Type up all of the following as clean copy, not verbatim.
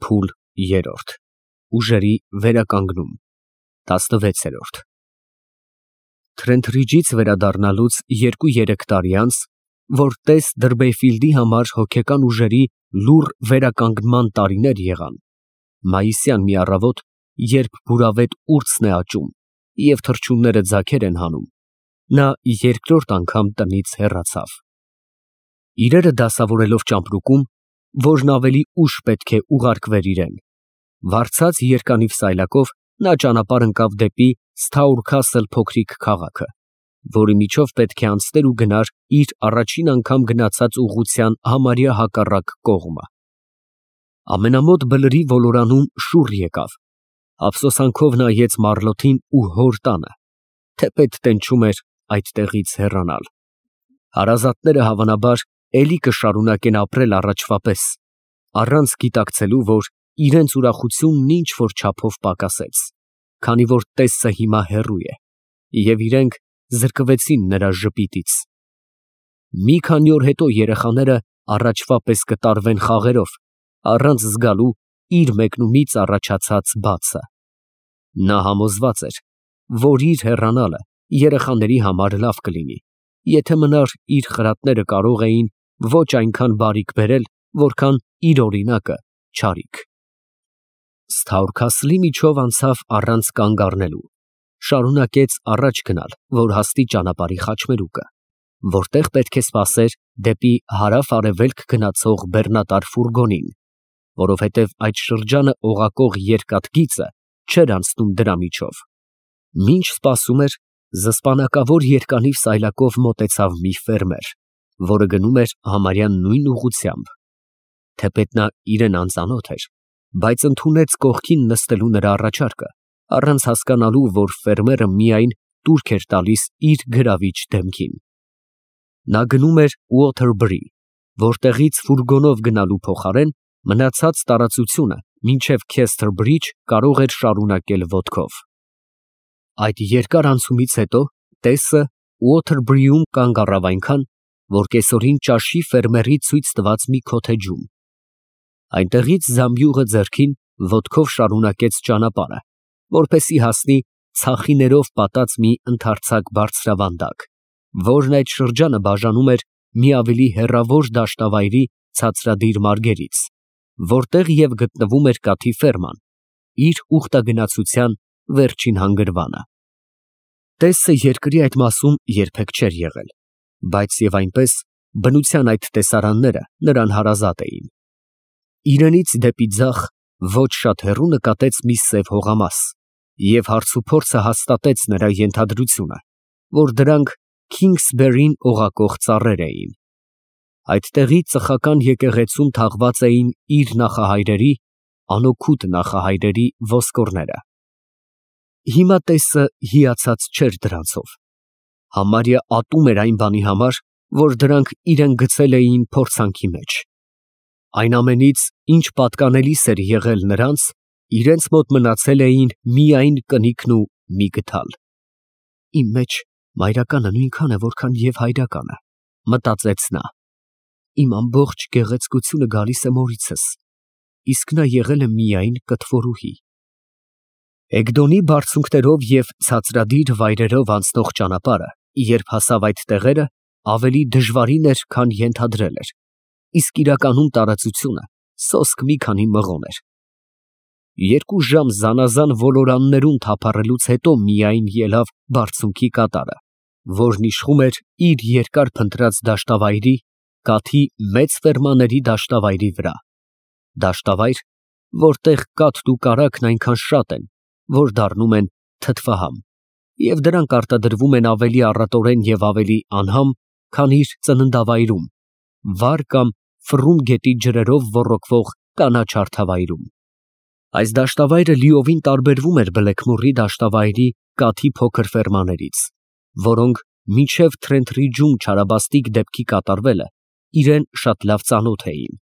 Փուլ 3 Ուժերի վերականգնում 16 Թրենթրիջից վերադառնալուց 2-3 տարի անց, որ տես Դրբեյֆիլդի համար հոգեկան ուժերի լուռ վերականգնման տարիներ եղան, մայիսյան մի առավոտ, երբ բուրավետ ուրցն է աճում և թռչունները ձագեր են հանում, նա երկրորդ անգամ տնից հեռացավ։ Իրերը դասավորելով ճամպրուկում, որն ավելի ուշ պետք է ուղարկվեր իրեն, վարձած երկանիվ սայլակով նա ճանապարհ ընկավ դեպի Սթաուրքասլ փոքրիկ քաղաքը, որի միջով պետք է անցներ ու գնար իր առաջին անգամ գնացած ուղղության համարյա հակառակ կողմը։ Ամենամոտ բլրի ոլորանում շուռ եկավ, ափսոսանքով նայեց Մարլոթին ու հոր տանը, թեպետ տենչում էր այդտեղից հեռանալ։ Հարազատները հավանաբար էլի կշարունակեն ապրել առաջվա պես, առանց գիտակցելու, որ իրենց ուրախությունն ինչ-որ չափով պակասեց, քանի որ տեսը հիմա հեռու է, և իրենք զրկվեցին նրա ժպիտից։ Մի քանի օր հետո երեխաները առաջվա պես կտարվեն խաղերով, առանց զգալու իր մեկնումից առաջացած բացը։ Նա համոզված էր, որ իր հեռանալը երեխաների համար լավ կլինի, եթե մնար իր խրատները կարող էին ոչ այնքան բարիք բերել, որքան իր օրինակը չարիք։ Սթաուրքասլի միջով անցավ առանց կանգ առնելու, շարունակեց առաջ գնալ, որ հասնի ճանապարհի խաչմերուկը, որտեղ պետք է սպասեր դեպի հարավ֊արևելք գնացող բեռնատար ֆուրգոնին, որովհետև այդ շրջանը օղակող երկաթգիծը չէր անցնում դրա միջով։ Մինչ սպասում էր, զսպանակավոր երկանիվ սայլակով մոտեցավ մի ֆերմեր, որը գնում էր համարյա նույն ուղղությամբ։ Թեպետ նա իրեն անծանոթ էր, բայց ընդունեց կողքին նստելու նրա առաջարկը, առանց հասկանալու, որ ֆերմերը միայն տուրք էր տալիս իր գրավիչ դեմքին։ Նա գնում էր Ուոթերբրի, որտեղից ֆուրգոնով գնալու փոխարեն մնացած տարածությունը մինչև Քեսթերբրիջ կարող էր շարունակել ոտքով։ Այդ երկար անցումից հետո տեսը Ուոթերբրիում կանգ առավ այնքան, որ կեսօրին ճաշի ֆերմերի ցույց տված մի քոթեջում։ Այնտեղից զամբյուղը ձեռքին ոտքով շարունակեց ճանապարհը, որպեսզի հասնի ցախիներով պատած մի ընդարձակ բարձրավանդակ, որն այդ շրջանը բաժանում էր մի ավելի հեռավոր դաշտավայրի ցածրադիր մարգերից, որտեղ և գտնվում էր կաթի ֆերման, իր ուխտագնացության վերջին հանգրվանը։ Տեսը երկրի այդ մասում երբեք չէր եղել, բայց և այնպես բնության այդ տեսարանները նրան հարազատ էին։ Իրենից դեպի ձախ ոչ շատ հեռու նկատեց մի սև հողամաս, և հարցուփորձը հաստատեց նրա ենթադրությունը, որ դրանք Քինգսբերին օղակող ծառեր էին։ Այդտեղի ծխական եկեղեցում թաղված էին իր նախահայրերի, անօգուտ նախահայրերի ոսկորները։ Հիմա տեսը հիացած չէր դրանցով, համարյա ատում էր այն բանի համար, որ դրանք իրեն գցել էին փորձանքի մեջ։ Այն ամենից, ինչ պատկանելիս էր եղել նրանց, իրենց մոտ մնացել էին միայն կնիկն ու մի գդալ։ Իմ մեջ մայրականը նույնքան է, որքան և հայրականը, մտածեց նա։ Իմ ամբողջ գեղեցկությունը գալիս է մորիցս, իսկ նա եղել է միայն կթվորուհի։ Էգդոնի բարձունքներով և ցածրադիր վայրերով անցնող ճանապարհը, երբ հասավ այդ տեղերը, ավելի դժվարին էր, քան ենթադրել էր, իսկ իրականում տարածությունը սոսկ մի քանի մղոն էր։ 2 ժամ զանազան ոլորաններում թափառելուց հետո միայն ելավ բարձունքի կատարը, որն իշխում էր իր երկար փնտրած դաշտավայրի, կաթի մեծ ֆերմաների դաշտավայրի վրա։ Դաշտավայր, որտեղ կաթն ու կարագն այնքան շատ են, որ դառնում են թթվահամ, և դրանք արտադրվում են ավելի առատորեն և ավելի անհամ, քան իր ծննդավայրում, վար կամ ֆռում գետի ջրերով ոռոգվող կանաչ հարթավայրում։ Այս դաշտավայրը լիովին տարբերվում էր Բլեքմորի դաշտավայրի կաթի փոքր ֆերմաներից, որոնք մինչև Թրենթրիջում չարաբաստիկ դեպքի կատարվելը իրեն շատ լավ ծանոթ էին։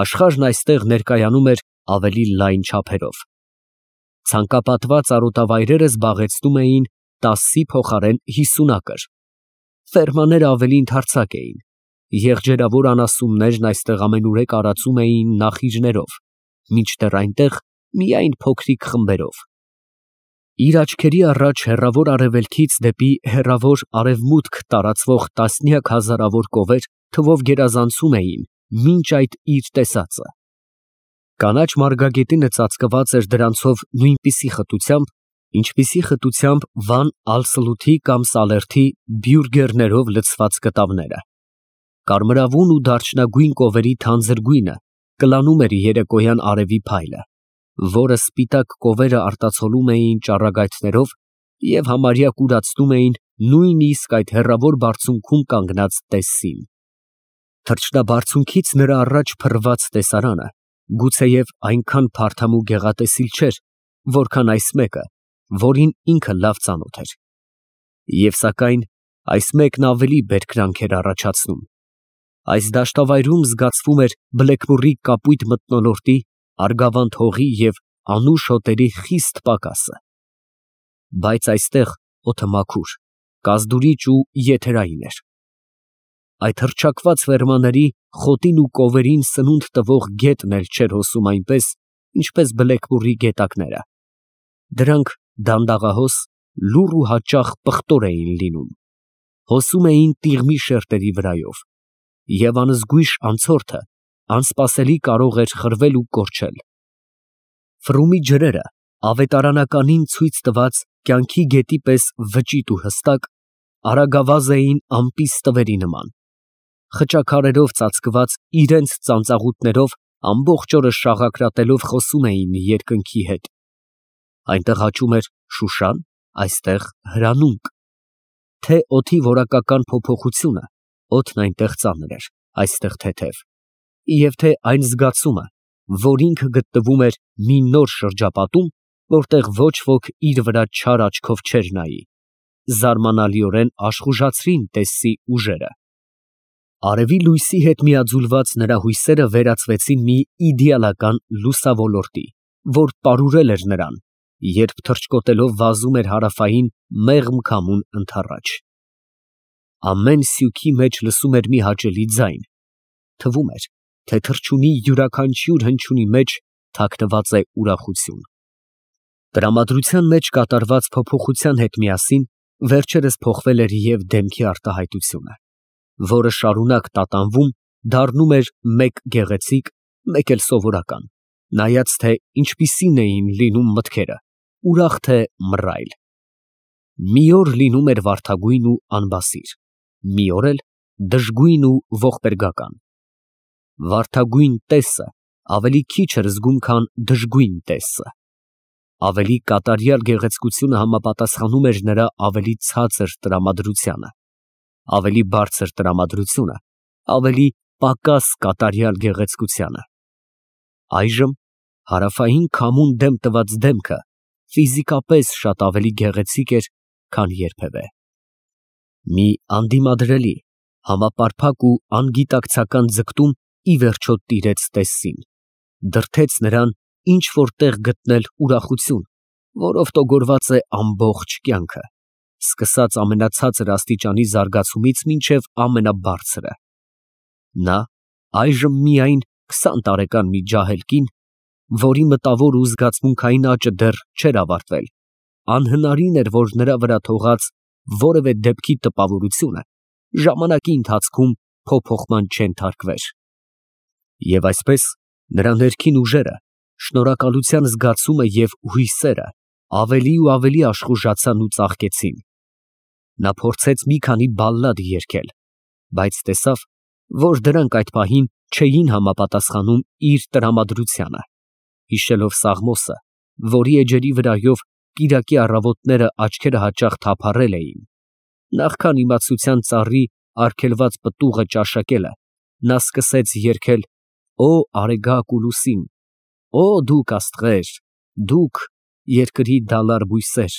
Աշխարհն այստեղ ներկայանում էր ավելի լայն չափերով։ Ցանկապատված արոտավայրերը զբաղեցնում էին 10-ի փոխարեն 50 ակր։ Ֆերմաները ավելի ընդարձակ էին, եղջերավոր անասուններն այստեղ ամենուրեք արածում էին նախիջներով, մինչդեռ այնտեղ միայն փոքրիկ խմբերով։ Իր աչքերի առաջ հեռավոր արևելքից դեպի հեռավոր արևմուտք տարածվող տասնյակ հազարավոր կովեր թվով գերազանցում էին մինչ այդ իր տեսածը։ Կանաչ մարգագետինը ծածկված էր դրանցով նույնպիսի խտությամբ, ինչպիսի խտությամբ Վան Ալսլութի կամ Սալերթի բյուրգերներով լցված կտավները։ Կարմրավուն ու դարչնագույն կովերի թանձր գույնը կլանում էր երեկոյան արևի փայլը, որը սպիտակ կովերը արտացոլում էին ճառագայթներով և համարյա կուրացնում էին նույնիսկ այդ հեռավոր բարձունքում կանգնած տեսին։ Թռչնաբարձունքից նրա առաջ փռված տեսարանը գուցեև այնքան փարթամ ու գեղատեսիլ չէր, որքան այս մեկը, որին ինքը լավ ծանոթ էր։ Եվ սակայն այս մեկն ավելի բերկրանք էր առաջացնում։ Այս դաշտավայրում զգացվում էր բլեկմոռի կապույտ մթնոլորտի, արգավանդ հողի և անուշ հոտերի խիստ պակասը։ Բայց այստեղ օդը մաքուր, կազդուրիչ ու եթերային էր։ Այդ հռչակված ֆերմաների խոտին ու կովերին սնունդ տվող գետն էլ չէր հոսում այնպես, ինչպես բլեկմոռի գետակները։ Դրանք դանդաղահոս, լուռ ու հաճախ պղտոր էին լինում, հոսում էին տիղմի շերտերի վրայով, և անզգույշ անցորդը անսպասելի կարող էր խրվել ու կորչել։ Ֆրումի ջրերը ավետարանականին ցույց տված կյանքի գետի պես վճիտ ու հստակ, արագավազ էին ամպի ստվերի նման, խճաքարերով ծածկված իրենց ծանծաղուտներով ամբողջ օրը շաղակրատելով խոսում էին երկնքի հետ։ Այնտեղ աճում էր շուշան, այստեղ հրանունք, թե օդի որակական փոփոխությունը, օդն այնտեղ ծանր էր, այստեղ թեթև, և թե այն զգացումը, որ ինքը գտնվում էր մի նոր շրջապատում, որտեղ ոչ ոք իր վրա չար աչքով չէր նայի, զարմանալիորեն աշխուժացրին տեսի ուժերը։ Արևի լույսի հետ միաձուլված նրա հույսերը վերածվեցին մի իդեալական լուսավորոտի, որ պարուրել էր նրան, երբ թռչկոտելով վազում էր հարավային մեղմ քամուն ընդառաջ։ Ամեն սյուքի մեջ լսում էր մի հաճելի ձայն, թվում էր, թե թռչունի յուրաքանչյուր հնչյունի մեջ թաքնված է ուրախություն։ Տրամադրության մեջ կատարված փոփոխության հետ միասին վերջերս փոխվել էր և դեմքի արտահայտությունը, որը շարունակ տատանվում, դառնում էր մեկ գեղեցիկ, մեկ էլ սովորական, նայած թե ինչպիսին էին լինում մտքերը, ուրախ թե մռայլ։ Մի օր լինում էր վարդագույն ու անբասիր, մի օր էլ դժգույն ու ողբերգական։ Վարդագույն տեսը ավելի քիչ էր զգում, քան դժգույն տեսը։ Ավելի կատարյալ գեղեցկությունը համապատասխանում էր նրա ավելի ցածր տրամադրությանը, ավելի բարձր տրամադրությունը ավելի պակաս կատարյալ գեղեցկությանը։ Այժմ հարավային քամուն դեմ տված դեմքը ֆիզիկապես շատ ավելի գեղեցիկ էր, քան երբևէ։ Մի անդիմադրելի, համապարփակ ու անգիտակցական ձգտում ի վերջո տիրեց տեսին, դրդեց նրան ինչ֊որ տեղ գտնել ուրախություն, որով տոգորված է ամբողջ կյանքը, սկսած ամենացածր աստիճանի զարգացումից մինչև ամենաբարձրը։ Նա այժմ միայն 20 տարեկան մի ջահել կին, որի մտավոր ու զգացմունքային աճը դեռ չէր ավարտվել, անհնարին էր, որ նրա վրա թողած որևէ դեպքի տպավորությունը ժամանակի ընթացքում փոփոխման չենթարկվեր։ Եվ այսպես նրա ներքին ուժերը, շնորհակալության զգացումը և հույսերը ավելի ու ավելի աշխուժացան ու ծաղկեցին։ Նա փորձեց մի քանի բալլադ երգել, բայց տեսավ, որ դրանք այդ պահին չէին համապատասխանում իր տրամադրությանը, հիշելով Սաղմոսը, որի էջերի վրայով կիրակի առավոտները աչքերը հաճախ թափառել էին։ Նախքան իմացության ծառի արգելված պտուղը ճաշակելը, նա սկսեց երգել «Օ արեգակ ու լուսին, օ դուք աստղեր, դուք երկրի դալար բույսեր,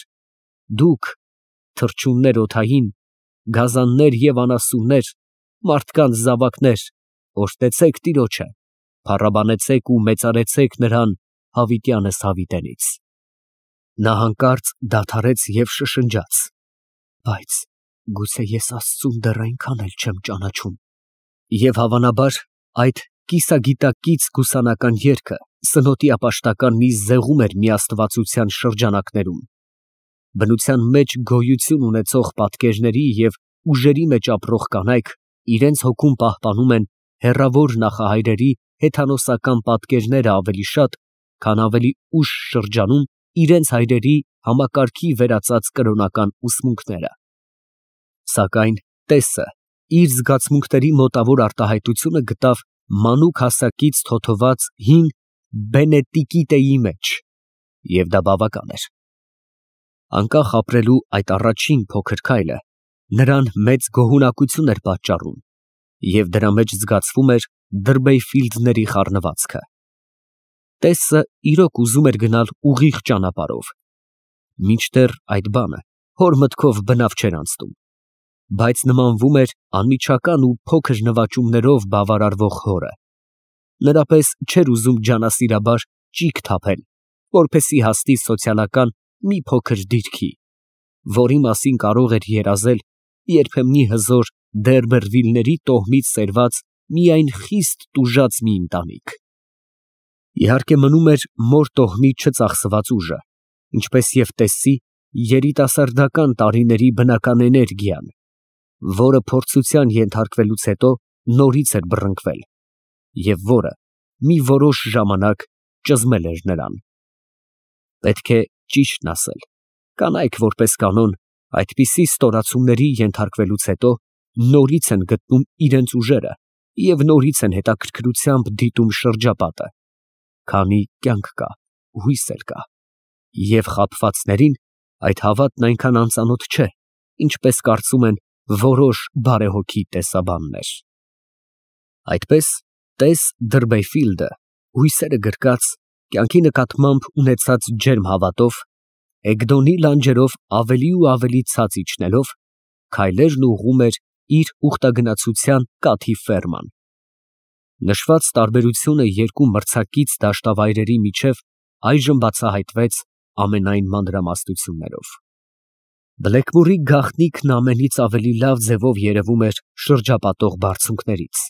դուք թռչուններ օդային, գազաններ և անասուններ, մարդկանց զավակներ, օրհնեցեք Տիրոջը, փառաբանեցեք ու մեծարեցեք նրան հավիտյանս հավիտենից»։ Նա հանկարծ դադարեց և շշնջաց. «Բայց գուցե ես Աստծուն դեռ այնքան էլ չեմ ճանաչում»։ Եվ հավանաբար այդ կիսագիտակից գուսանական երգը սնոտի ապաշտական մի զեղում էր միաստվածության շրջանակներում։ Բնության մեջ գոյություն ունեցող պատկերների և ուժերի մեջ ապրող կանայք իրենց հոգում պահպանում են հեռավոր նախահայրերի հեթանոսական պատկերները ավելի շատ, քան ավելի ուշ շրջանում իրենց հայրերի համակարգի վերածած կրոնական ուսմունքները։ Սակայն տեսը իր զգացմունքների մոտավոր արտահայտությունը գտավ մանուկ հասակից թոթված հին Բենեդիկտեի մեջ, և դա բավական էր։ Անկախ ապրելու այդ առաջին փոքր քայլը նրան մեծ գոհունակություն էր պատճառում, և դրա մեջ զգացվում էր Դրբեյֆիլդների խառնվածքը։ Տեսը իրոք ուզում էր գնալ ուղիղ ճանապարհով, մինչդեռ այդ բանը հոր մտքով բնավ չէր անցնում, բայց նմանվում էր անմիջական ու փոքր նվաճումներով բավարարվող հորը։ Նրա պես չէր ուզում ջանասիրաբար ճիգ թափել, որպեսզի հասնի սոցիալական մի փոքր դիրքի, որի մասին կարող էր երազել երբեմնի հզոր Դերբերվիլների տոհմից սերված միայն խիստ տուժած մի ընտանիք։ Իհարկե մնում էր մոր տոհմից չծախսված ուժը, ինչպես և տեսի երիտասարդական տարիների բնական էներգիան, որը փորձության ենթարկվելուց հետո նորից էր բռնկվել, և որը մի որոշ ժամանակ ճզմել էր նրան։ Պետք է ճիշտն ասել, կանայք որպես կանոն այդպիսի ստորացումների ենթարկվելուց հետո նորից են գտնում իրենց ուժերը և նորից են հետաքրքրությամբ դիտում շրջապատը, քանի կյանք կա, հույս էլ կա, և խաբվածներին այդ հավատն այնքան անծանոթ չէ, ինչպես կարծում են որոշ բարեհոգի տեսաբաններ։ Այդպես տես Դրբեյֆիլդը հույսերը գրկած, կյանքի նկատմամբ ունեցած ջերմ հավատով, Էգդոնի լանջերով ավելի ու ավելի ցած իջնելով, քայլերն ուղղում էր իր ուխտագնացության կաթի ֆերման։ Նշված տարբերությունը երկու մրցակից դաշտավայրերի միջև այժմ բացահայտվեց ամենայն մանրամասնություններով։ Բլեքմորի գաղտնիքն ամենից ավելի լավ ձևով երևում էր շրջապատող բարձունքներից։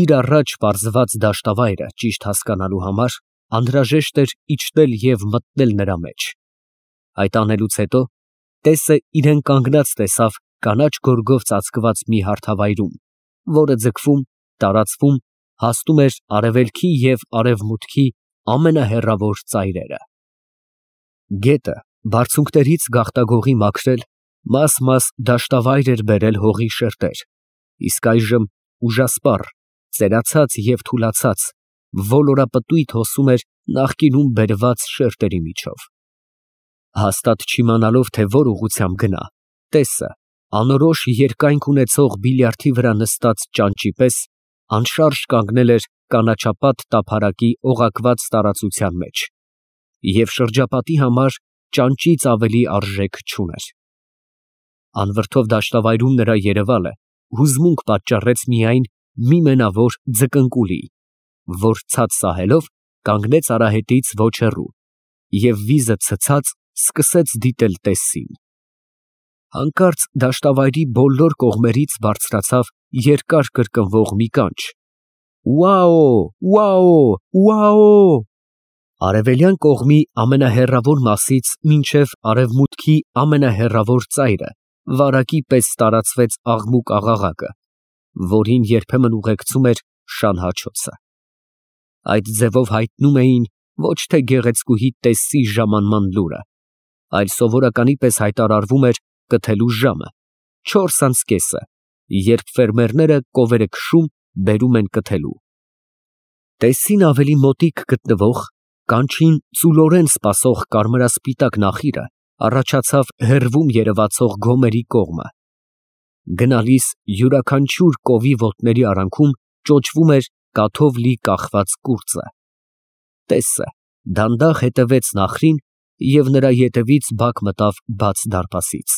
Իր առաջ պարզված դաշտավայրը ճիշտ հասկանալու համար անհրաժեշտ էր իջնել և մտնել նրա մեջ։ Այդ անելուց հետո տեսը իրեն կանգնած տեսավ կանաչ գորգով ծածկված մի հարթավայրում, որը ձգվում, տարածվում, հասնում էր արևելքի և արևմուտքի ամենահեռավոր ծայրերը։ Գետը բարձունքներից գաղտագողի մաքրել, մաս դաշտավայր էր բերել հողի շերտեր, իսկ այժմ ուժասպառ, ծերացած և թուլացած, ոլորապտույտ հոսում էր նախկինում բերված շերտերի միջով։ Հաստատ չիմանալով, թե որ ուղղությամբ գնա, տեսը անորոշ երկայնք ունեցող բիլիարդի վրա նստած ճանճի պես անշարժ կանգնել էր կանաչապատ տափարակի օղակված տարածության մեջ և շրջապատի համար ճանճից ավելի արժեք չուներ։ Անվրդով դաշտավայրում նրա երևալը հուզմունք պատճառեց միայն մի մենավոր ձկնկուլի, որ ցած սահելով կանգնեց արահետից ոչ հեռու և վիզը ցցած սկսեց դիտել տեսին։ Հանկարծ դաշտավայրի բոլոր կողմերից բարձրացավ երկար կրկնվող մի կանչ. «Ուաո, ուաո, ուաո»։ Արևելյան կողմի ամենահեռավոր մասից մինչև արևմուտքի ամենահեռավոր ծայրը վարակի պես տարածվեց աղմուկ֊աղաղակը, որին երբեմն ուղեկցում էր շան հաչոցը։ Այդ ձևով հայտնում էին ոչ թե գեղեցկուհի տեսի ժամանման լուրը, այլ սովորականի պես հայտարարվում էր կթելու ժամը, 4:30, երբ ֆերմերները կովերը քշում, բերում են կթելու։ Տեսին ավելի մոտիկ գտնվող, կանչին ծուլորեն սպասող կարմրասպիտակ նախիրը առաջացավ հեռվում երևացող գոմերի կողմը։ Գնալիս յուրաքանչյուր կովի ոտների արանքում ճոճվում էր կաթով լի կախված կուրծը։ Տեսը դանդաղ հետևեց նախրին և նրա ետևից բակ մտավ բաց դարպասից։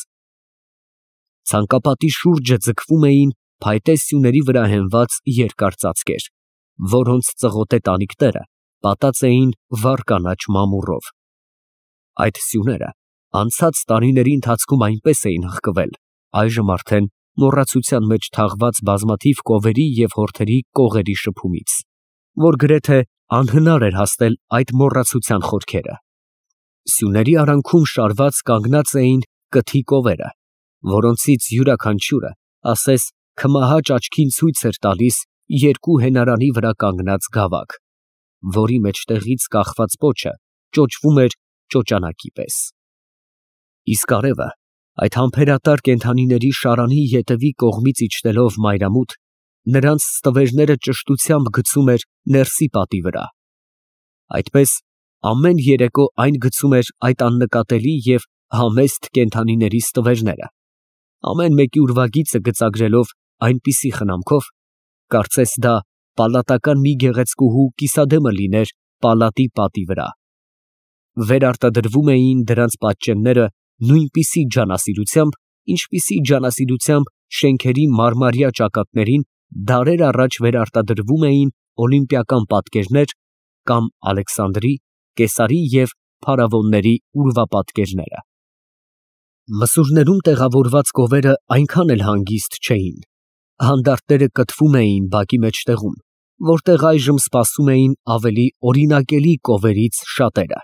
Ցանկապատի շուրջը ձգվում էին փայտե սյուների վրա հենված երկար ծածկեր, որոնց ծղոտե տանիքները պատած էին վառ կանաչ մամուռով։ Այդ սյուները անցած տարիների ընթացքում այնպես էին հղկվել, այժմ արդեն մոռացության մեջ թաղված բազմաթիվ կովերի և հորթերի կողերի շփումից, որ գրեթե անհնար էր հասնել այդ մոռացության խորքերը։ Սյուների արանքում շարված կանգնած էին կթի կովերը, որոնցից յուրաքանչյուրը ասես քմահաճ աչքին ցույց էր տալիս երկու հենարանի վրա կանգնած գավակ, որի մեջտեղից կախված պոչը ճոճվում էր ճոճանակի պես։ Իսկ արևը, այդ համբերատար կենդանիների շարանի ետևի կողմից իջնելով մայրամուտ, նրանց ստվերները ճշտությամբ գցում էր ներսի պատի վրա։ Այդպես ամեն երեկո այն գցում էր այդ աննկատելի և համեստ կենդանիների ստվերները, ամեն մեկի ուրվագիծը գծագրելով այնպիսի խնամքով, կարծես դա պալատական մի գեղեցկուհու կիսադեմը լիներ պալատի պատի վրա։ Վերարտադրվում էին դրանց պատճենները նույնպիսի ջանասիրությամբ, ինչպիսի ջանասիրությամբ շենքերի մարմարյա ճակատներին դարեր առաջ վերարտադրվում էին օլիմպիական պատկերներ կամ Ալեքսանդրի, Կեսարի և փարավոնների ուրվապատկերները։ Մսուրներում տեղավորված կովերը այնքան էլ հանգիստ չէին, հանդարտները կտվում էին բակի մեջտեղում, որտեղ այժմ սպասում էին ավելի օրինակելի կովերից շատերը։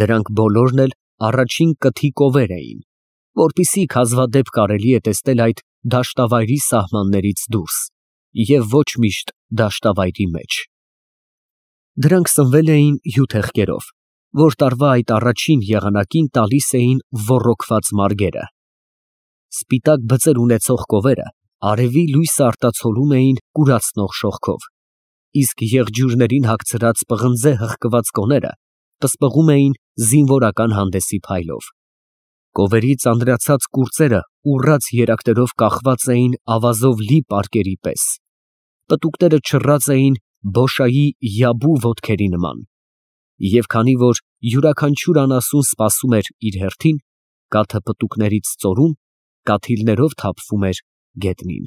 Դրանք բոլորն էլ առաջին կթի կովեր էին, որպեսզի հազվադեպ կարելի է տեսնել այդ դաշտավայրի սահմաններից դուրս և ոչ միշտ դաշտավայրի մեջ։ Դրանք սնվել էին հյութեղկերով, որ տարվա այդ առաջին եղանակին տալիս էին ոռոգված մարգերը։ Սպիտակ բծեր ունեցող կովերը արևի լույսը արտացոլում էին կուրացնող շողքով, իսկ եղջյուրներին հագցրած պղնձե հղկված կոները պսպղում էին զինվորական հանդեսի փայլով։ Կովերի ծանրացած կուրծերը ուռած երակներով կախված էին ավազով լի պարկերի պես, պտուկները չռած էին բոշայի յաբու ոտքերի նման, և քանի որ յուրաքանչյուր անասուն սպասում էր իր հերթին, կաթը պտուկներից ծորում, կաթիլներով թափվում էր գետնին։